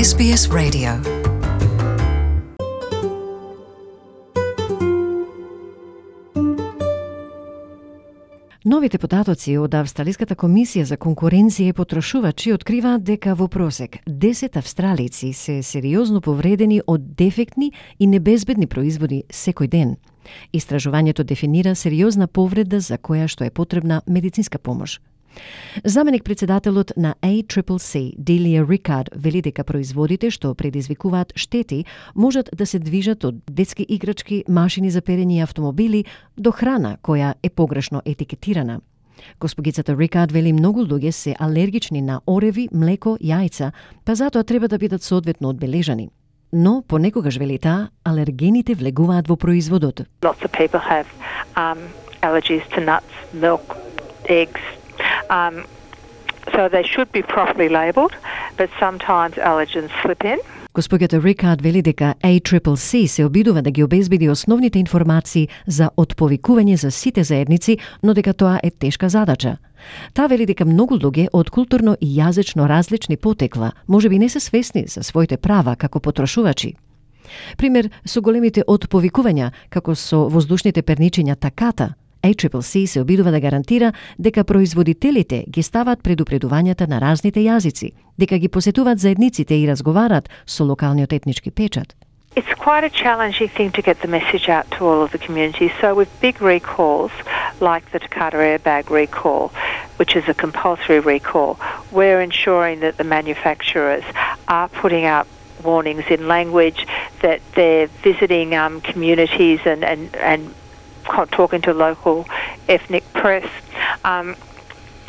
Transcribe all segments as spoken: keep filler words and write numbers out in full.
Ес Би Ес Radio. Новите податоци од Австралиската комисија за конкуренција и потрошувачи откриваат дека во просек десет австралици се сериозно повредени од дефектни и небезбедни производи секој ден. Истражувањето дефинира сериозна повреда за која што е потребна медицинска помош. Заменик председателот на А Си Си Си, Делија Рикард, вели дека производите што предизвикуваат штети можат да се движат од детски играчки, машини за перење и автомобили до храна која е погрешно етикетирана. Госпогицата Рикард вели многу луѓе се алергични на ореви, млеко, јајца, па затоа треба да бидат соодветно одбележани. Но понекогаш, вели таа, алергените влегуваат во производот. Lots of people have um, allergies to nuts, milk, eggs. Um, so they should be properly labelled, but sometimes allergens slip in. Госпоѓата Рикард вели дека А Си Си Си се обидува да ги обезбеди основните информации за отповикување за сите заедници, но дека тоа е тешка задача. Таа вели дека многу луѓе од културно и јазично различни потекла можеби не се свесни за своите права како потрошувачи. Пример со големите отповикувања, како со воздушните перничиња таката, А Си Си Си се обидува да гарантира дека производителите ги стават предупредувањата на разните јазици, дека ги посетуваат заедниците и разговарат со локалниот етнички печат. It's quite a challenging thing to get the message out to all of the community. So with big recalls, like the Takata airbag recall, which is a compulsory recall, we're ensuring that the manufacturers are putting out warnings in language, that they're visiting um, communities and, and, and talking to local ethnic press, um,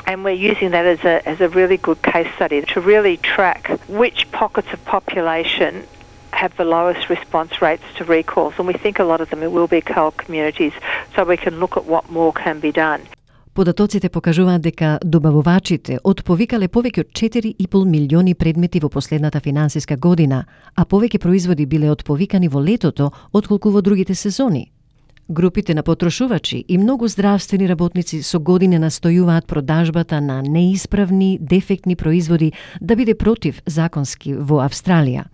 and we're using that as a as a really good case study to really track which pockets of population have the lowest response rates to recalls, and we think a lot of them will be coal communities, so we can look at what more can be done. Податоците покажуваат дека добавувачите отповикале повеќе од четири и пол милиони предмети во последната финансиска година, а повеќе производи биле отповикани во летото отколку во другите сезони. Групите на потрошувачи и многу здравствени работници со години настојуваат продажбата на неисправни, дефектни производи да биде против законски во Австралија.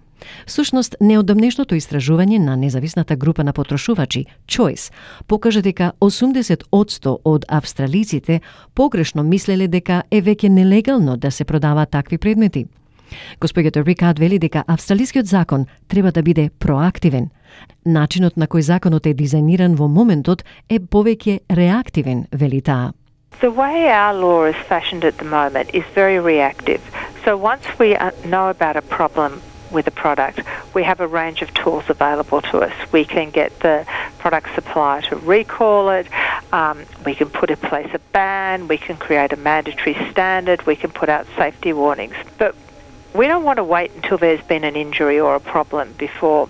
Всушност, неодамнешното истражување на независната група на потрошувачи, Choice, покажа дека осумдесет одсто од австралиците погрешно мислеле дека е веќе нелегално да се продаваат такви предмети. Госпоѓата Рикард вели дека австралискиот закон треба да биде проактивен. Начинот на кој законот е дизајниран во моментот е повеќе реактивен, вели таа. The way our law is fashioned at the moment is very reactive. So once we know about a problem with a product, we have a range of tools available to us. We can get the product supplier to recall it, um, we can put in place a ban, we can create a mandatory standard, we can put out safety warnings. But we don't want to wait until there's been an injury or a problem before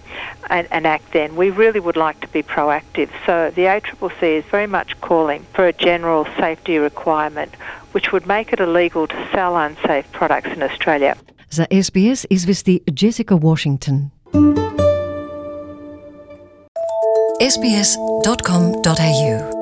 and, and act then. We really would like to be proactive. So the A C C C is very much calling for a general safety requirement which would make it illegal to sell unsafe products in Australia. За Ес Би Ес извести Джесика Вашингтон. ес би ес точка ком точка ей ю